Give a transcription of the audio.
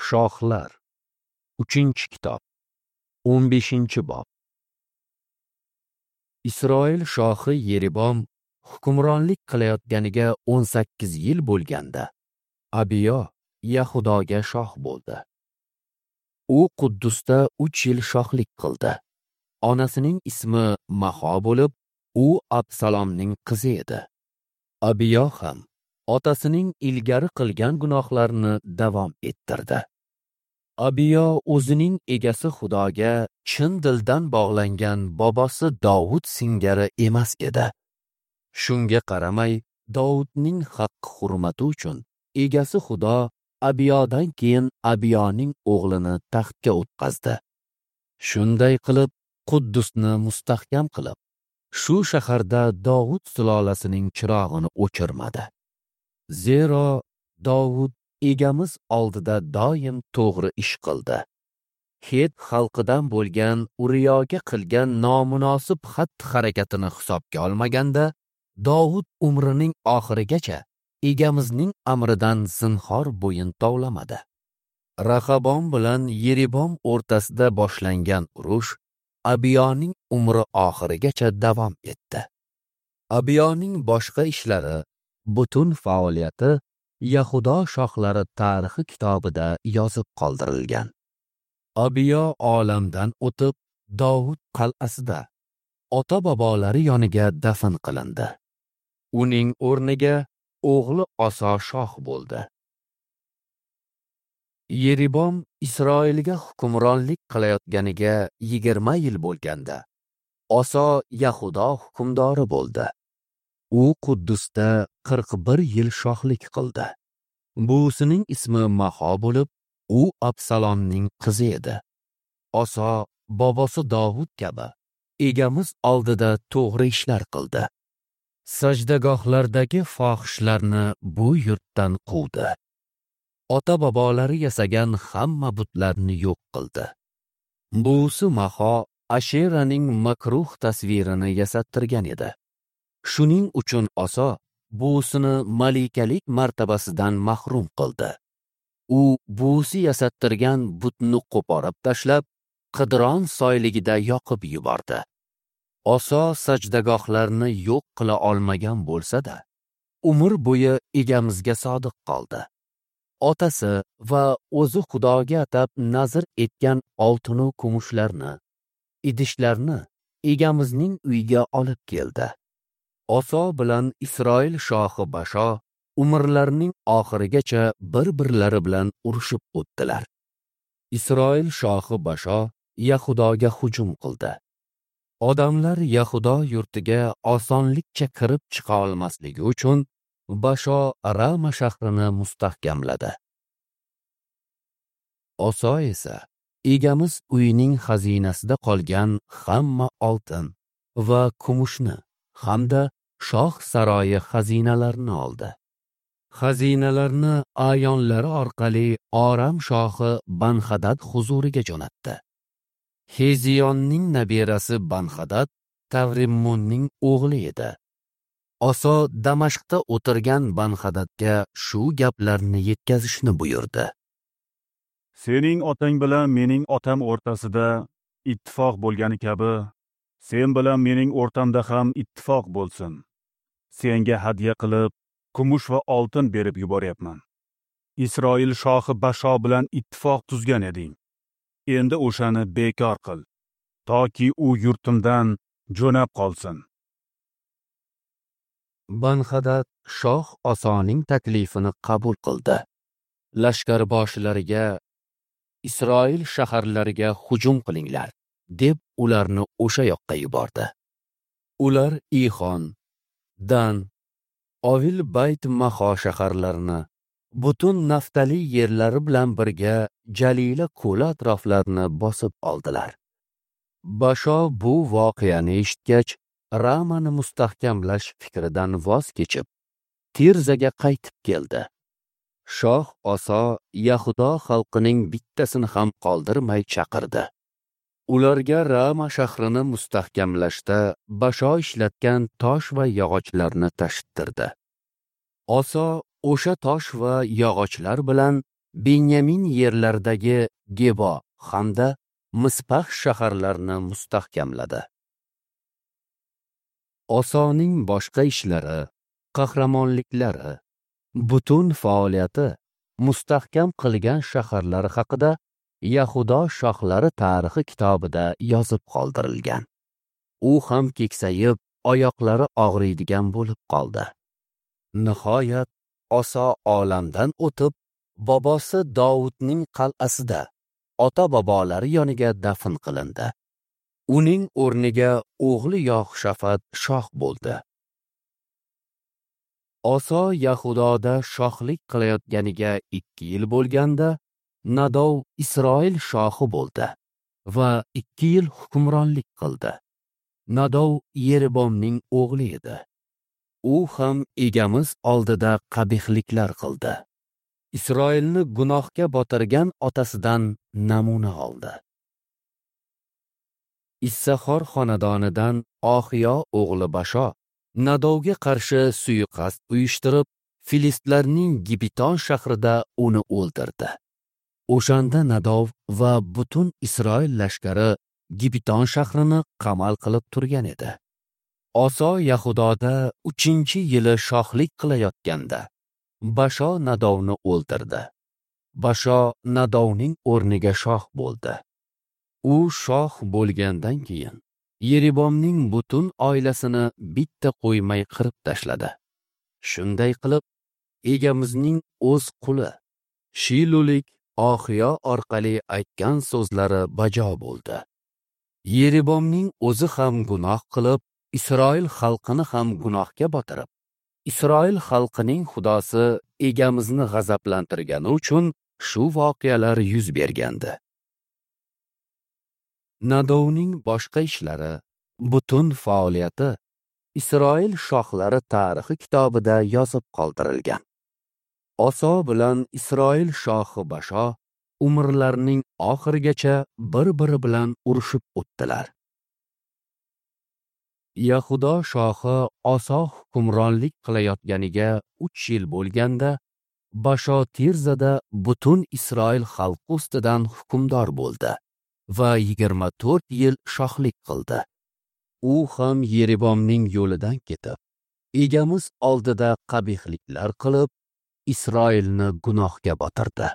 Shohlar, 3-kitob, 15-bob. Isroil shohi Yeribom hukmronlik qilayotganiga 18 yil bo'lganda, Abiyo Yahudoga shoh bo'ldi. U Quddusda 3 yil shohlik qildi. Onasining ismi Maho bo'lib, u Absalomning qizi edi. Abiyo ham otasining ilgari qilgan gunohlarini davom ettirdi. Abiyo o'zining egasi Xudoga chin dildan bog'langan bobosi Dovud singari emas edi. Shunga qaramay, Dovudning haqqi hurmati uchun egasi Xudo Abiyodan keyin Abiyoning o'g'lini taxtga o'tqazdi. Shunday qilib Quddusni mustahkam qilib, shu shaharda Dovud sulolasining chirog'ini o'chirmadi. Zero Dovud egamiz oldida doim to'g'ri ish qildi. Het xalqidan bo'lgan Uriyoga qilgan nomunosib xatti-harakatini hisobga olmaganda, Dovud umrining oxirigacha egamizning amridan zinhor bo'yin tovlamadi. Rahabom bilan Yeribom o'rtasida boshlangan urush Abiyoning umri oxirigacha davom etdi. Abiyoning boshqa ishlari, butun faoliyati Yahudo shohlari tarixi kitobida yozib qoldirilgan. Abiyo olamdan o'tib, Dovud qal'asida ota-bobolari yoniga dafn qilindi. Uning o'rniga o'g'li Oso shoh bo'ldi. Yeribom Isroilga hukmronlik qilayotganiga 20 yil bo'lganda, Oso Yahudo hukmdori bo'ldi. U Quddusda 41 yil shohlik qildi. Buvisining ismi Maho bo'lib, u Absalomning qizi edi. Oso bobosi Dovud kabi egamiz oldida to'g'ri ishlar qildi. Sajdagohlardagi fohishlarni bu yurtdan quvdi. Ota-bobolari yasagan hamma butlarni yo'q qildi. Buvisi Maho Asheraning makruh tasvirini yasattirgan edi. Shuning uchun Oso buvisini malikalik martabasidan mahrum qildi. U buvisi yasattirgan butni qo'porib tashlab, Qidron soyligida yoqib yubordi. Oso sajdagohlarni yo'q qila olmagan bo'lsa-da, umr bo'yi egamizga sodiq qoldi. Otasi va o'zi Xudoga atab nazr etgan oltin va kumushlarni, idishlarni egamizning uyiga olib keldi. Oso bilan Isroil shohi Basho umrlarining oxirigacha bir-birlari bilan urushib o'tdilar. Isroil shohi Basho Yahudoga hujum qildi. Odamlar Yahudo yurtiga osonlikcha kirib chiqa olmasligi uchun Basho Rama shahrini mustahkamladi. Oso esa egamiz uyining xazinasida qolgan hamma oltin va kumushni hamda shoh saroyi xazinalarini oldi. Xazinalarni ayonlari orqali Oram shohi Banxadad huzuriga jo'natdi. Heziyonning nabirasi Banxadad Tavrimmunning o'g'li edi. Oso Damashqda o'tirgan Banxadadga shu gaplarni yetkazishni buyurdi. Sening otang bilan mening otam o'rtasida ittifoq bo'lgani kabi, sen bilan mening o'rtamda ham ittifoq bo'lsin. Senga hadya qilib kumush va oltin berib yuboryapman. Isroil shohi Basho bilan ittifoq tuzgan eding. Endi o'shani bekor qil, toki u yurtimdan jo'nab qolsin. Banxadad shoh Osoning taklifini qabul qildi. Lashkarboshilariga Isroil shaharlariga hujum qilinglar, deb ularni o'sha yoqqa yubordi. Ular Ixon, Dan, Ovil Bayt Maho shaharlarini, butun Naftali yerlari bilan birga Jalila ko'li atroflarini bosib oldilar. Basho bu voqeani eshitgach, Ramani mustahkamlash fikridan voz kechib, Tirzaga qaytib keldi. Shoh Oso Yahudo xalqining bittasini ham qoldirmay chaqirdi. Ularga Rama shahrini mustahkamlashda Basho ishlatgan tosh va yog'ochlarni tashittirdi. Oso o'sha tosh va yog'ochlar bilan Benyamin yerlaridagi Gebo hamda Mispax shaharlarini mustahkamladi. Osoning boshqa ishlari, qahramonliklari, butun faoliyati, mustahkam qilgan shaharlari haqida Yahudo shohlari tarixi kitobida yozib qoldirilgan. U ham keksayib, oyoqlari og'riydigan bo'lib qoldi. Nihoyat Oso olamdan o'tib, bobosi Dovudning qal'asida ota-bobolari yoniga dafn qilindi. Uning o'rniga o'g'li Yoshafat shoh bo'ldi. Oso Yahudoda shohlik qilayotganiga 2 yil bo'lganda, Nadov Isroil shohi bo'ldi va 2 yil hukmronlik qildi. Nadov Yeribomning o'g'li edi. U ham egamiz oldida qabihliklar qildi. Isroilni gunohga botirgan otasidan namuna oldi. Issaxor xonadonidan Oxiyo o'g'li Basho Nadovga qarshi suiqasd uyushtirib, filistlarning Gibiton shahrida uni o'ldirdi. O'shanda Nadov va butun Isroil lashkari Gibiton shahrini qamal qilib turgan edi. Oso Yahudoda 3-yili shohlik qilayotganda Basho Nadovni o'ldirdi. Basho Nadovning o'rniga shoh bo'ldi. U shoh bo'lgandan keyin Yeribomning butun oilasini bitta qo'ymay qirib tashladi. Shunday qilib, egamizning o'z quli Shilulik Oxiyo orqali aytgan so'zlari bajo bo'ldi. Yeribomning o'zi ham gunoh qilib, Isroil xalqini ham gunohga botirib, Isroil xalqining xudosi egamizni g'azablantirgani uchun shu voqealar yuz bergandi. Nadovning boshqa ishlari, butun faoliyati Isroil shohlari tarixi kitobida yozib qoldirilgan. Oso bilan Isroil shohi Basho umrlarining oxirigacha bir-biri bilan urushib o'tdilar. Yahudo shohi Oso hukmronlik qilayotganiga 3 yil bo'lganda, Basho Tirzada butun Isroil xalqi ustidan hukmdor bo'ldi va 24 yil shohlik qildi. U ham Yeribomning yo'lidan ketib, egamiz oldida qabihliklar qilib, Isroilni gunohga botirdi.